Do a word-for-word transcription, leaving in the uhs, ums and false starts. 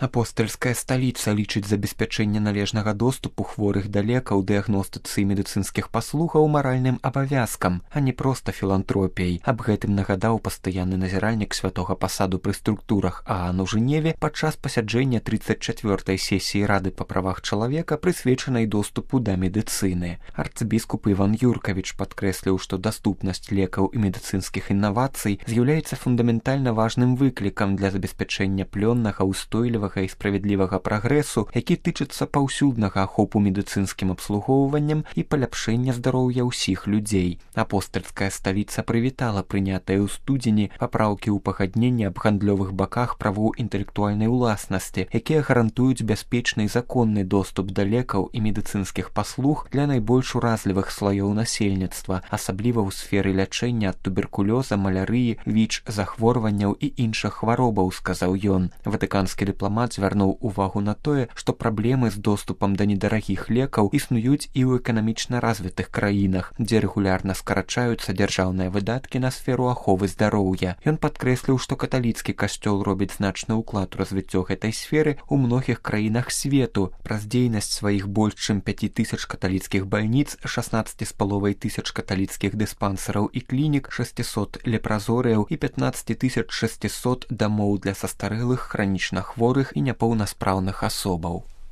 Апостальская сталіца лічыць забеспячэнне належнага доступу хворых да лекаў, дыягностыцы і медыцынскіх паслугаў маральным абавязкам, а не проста філантропіяй. Аб гэтым нагадаў пастаянны назіральнік святога пасаду пры структурах ААН у Жэневе падчас пасяджэння тридцать чавёртай сесіі Рады па правах чалавека, прысвечанай доступу да медыцыны. Арцыбіскуп Іван Юркавіч падкрэсліў, што даступнасць лекаў і медыцынскіх інавацый з'яўляецца фундаментальна важным выклікам для забеспячэння плённага, устойлівага і справядлівага прагрэсу, які тычыцца паўсюднага ахопу медыцынскім абслугоўваннем і паляпшэння здароўя ўсіх людзей. Апостальская сталіца прывітала прынятыя ў студзені папраўкі ў пагадненні аб гандлёвых баках правоў інтэлектуальнай уласнасці, якія гарантуюць бяспечны і законны доступ да лекаў і медыцынскіх паслуг для найбольш уразлівых слаёў насельніцтва, асабліва ў сферы лячэння ад туберкулёза, малярыі, віч, захворванняў і іншых хваробаў, сказаў ён. Ватыканскі дыпламат звярнуў увагу на тое, што праблемы з доступам да недарагіх лекаў існуюць і ў эканамічна развітых краінах, дзе рэгулярна скарачаюцца дзяржаўныя выдаткі на сферу аховы здароўя. Ён падкрэсліў, што каталіцкі касцёл робіць значны ўклад у развіццё гэтай сферы ў многіх краінах свету. Праз дзейнасць сваіх больш чым пяці тысяч каталіцкіх бальніц, шаснаццаці з паловай тысяч каталіцкіх дыспансераў і клінік, шэсцісот лепразорыяў і пятнаццаць тысяч шэсцісот дамоў для састарэлых, хранічна хворых і няпоўнаспраўных асобаў.